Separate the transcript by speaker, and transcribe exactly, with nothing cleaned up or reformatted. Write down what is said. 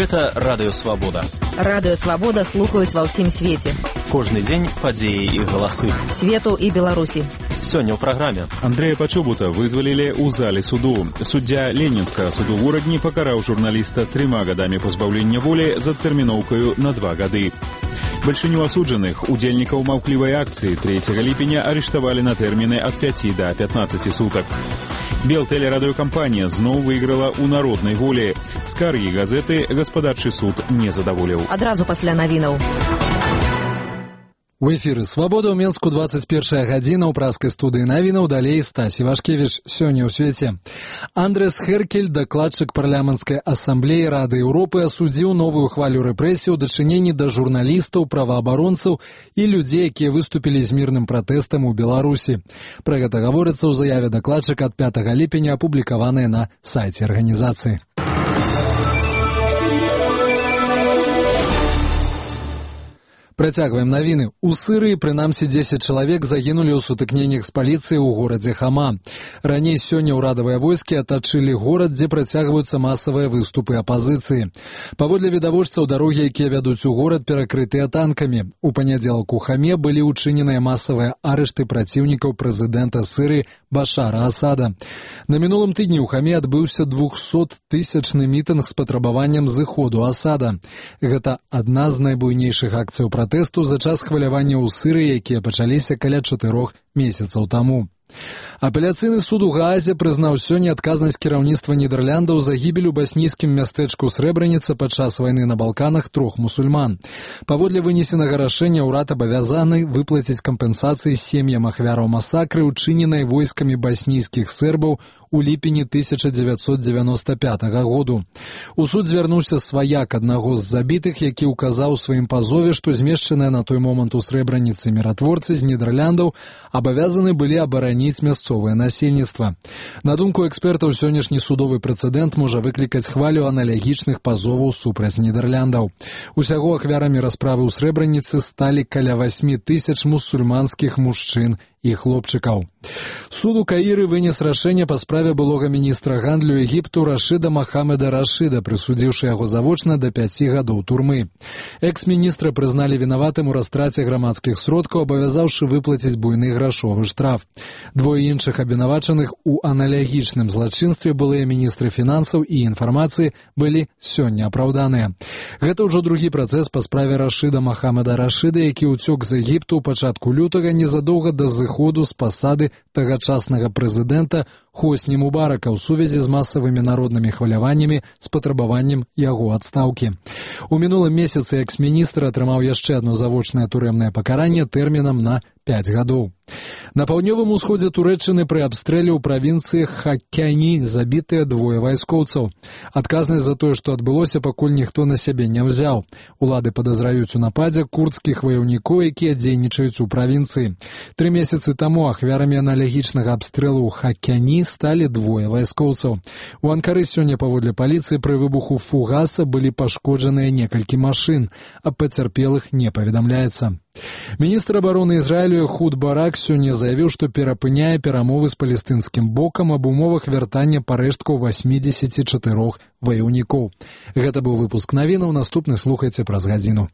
Speaker 1: Гэта Радыё Свабода.
Speaker 2: Радыё Свабода слухаюць ва ўсім свеце.
Speaker 1: Кожны дзень падзеі і галасы.
Speaker 2: Свету і Беларусі.
Speaker 1: Сёння ў праграме.
Speaker 3: Андрэя Пачобута вызвалілі ў зале суду. Суддзя Ленінскага суду ў Урадні пакараў журналіста трыма гадамі пазбаўлення волі з адтэрміноўкаю на два гады. Бальшыню асуджаных, удзельнікаў маўклівай акцыі трэцяга ліпеня арыштавалі на тэрміны ад пяці да пятнаццаці сутак. Белтэлерадыёкампанія зноў выйграла ў народнай волі. Скаргі газеты гаспадарчы суд не задаволіў.
Speaker 2: Адразу пасля навінаў.
Speaker 4: У эфіры «Свабода» ў Менску двадцать первая гадзіна ў праскай студыі навінаў, далей Стась Івашкевіч. Сёння ў свеце. Андрэс Херкель, дакладчык парламенцкай асамблеі Рады Еўропы, асудзіў новую хвалю рэпрэсій у дачыненні да журналістаў, праваабаронцаў і людзей, якія выступілі з мірным пратэстам у Беларусі. Пра гэта гаворыцца ў заяве дакладчыка ад пятага ліпеня, апублікаванай на сайце арганізацыі. Працягваем навіны. У Сырыі прынамсі дзесяць чалавек загінулі ў сутыкненнях з паліцыяй у горадзе Хама. Раней сёння ўрадавыя войскі атачылі горад, дзе працягваюцца масавыя выступы апазіцыі. Паводле відавочцаў, дарогі, якія вядуць у горад, перакрытыя танкамі. У панядзелак у Хаме былі ўчыненыя масавыя арышты праціўнікаў прэзідэнта Сырыі Башара Асада. На мінулым тыдні ў Хаме адбыўся двухсоттысячны мітынг з патрабаваннем зыходу Асада. Гэта адна з найбуйнейшых акцый пратэсту за час хвалявання ў Сырыі, якія пачаліся каля чатырох месяцаў таму. Апеляцыйны суд у Гаазе прызнаў сёння адказнасць кіраўніцтва Нідерландаў за гібель у баснійскім мястэчку Срэбраніца падчас вайны на Балканах трох мусульман. Паводле вынесенага рашэння ўрад абавязаны выплаціць кампенсацыі сем'ям ахвяраў масакры, учыненай войскамі баснійскіх сербаў у ліпені тысяча дзевяцьсот дзевяноста пятага году. У суд звярнуўся сваяк аднаго з забітых, які ўказаў у сваім пазове, што змешчаныя на той момант у Срэбраніцы міратворцы з Нідерландаў абавязаны былі абараніць мясцовае насельніцтва. На думку экспертаў, сённяшні судовы прэцэдэнт можа выклікаць хвалю аналагічных пазоваў супраць Нідерландаў. Усяго ахвярамі расправы ў Срэбраніцы сталі каля васьмі тысяч мусульманскіх мужчын і хлопчыкаў. Суд у Каіры вынес рашэнне па справе былога міністра гандлю Егіпту Рашыда Махамеда Рашыда, прысудзіўшы яго завочна да пяці гадоў турмы. Экс-міністра прызналі вінаватым у растраце грамадскіх сродкаў, абавязаўшы выплаціць буйны грашовы штраф. Двое іншых абвінавачаных у аналагічным злачынстве, былыя міністры фінансаў і інфармацыі, былі сёння апраўданыя. Гэта ўжо другі працэс па справе Рашыда Махамеда Рашыда, які ўцёк з Егіпту ў пачатку лютага незадоўга да зыходу з пасады тагачаснага прэзідэнта Хосні Мубарака ў сувязі з масавымі народнымі хваляваннямі з патрабаваннем яго адстаўкі. У мінулым месяцы экс-міністр атрымаў яшчэ адно завочнае турэмнае пакаранне тэрмінам на пяць гадоў. На паўднёвым усходзе Турэччыны пры абстрэле ў правінцыі Хаккяні забітыя двое вайскоўцаў. Адказнасць за тое, што адбылося, пакуль ніхто на сябе не ўзяў. Улады падазраюць у нападзе курдскіх ваяўнікоў, якія дзейнічаюць у правінцыі. Тры месяцы таму ахвярамі аналагічнага абстрэлу ў Хаккяні сталі двое вайскоўцаў. У Анкары сёння, паводле паліцыі, пры выбуху фугаса былі пашкоджаныя некалькі машын, а пацярпелых не паведамляецца. Міністр абароны Ізраілю Эхуд Барак сёння заявіў, што перапыняе перамовы з палестынскім бокам аб умовах вяртання парэшткаў васьмідзесяці чатырох ваяўнікоў. Гэта быў выпуск навінаў, наступны слухайце праз гадзіну.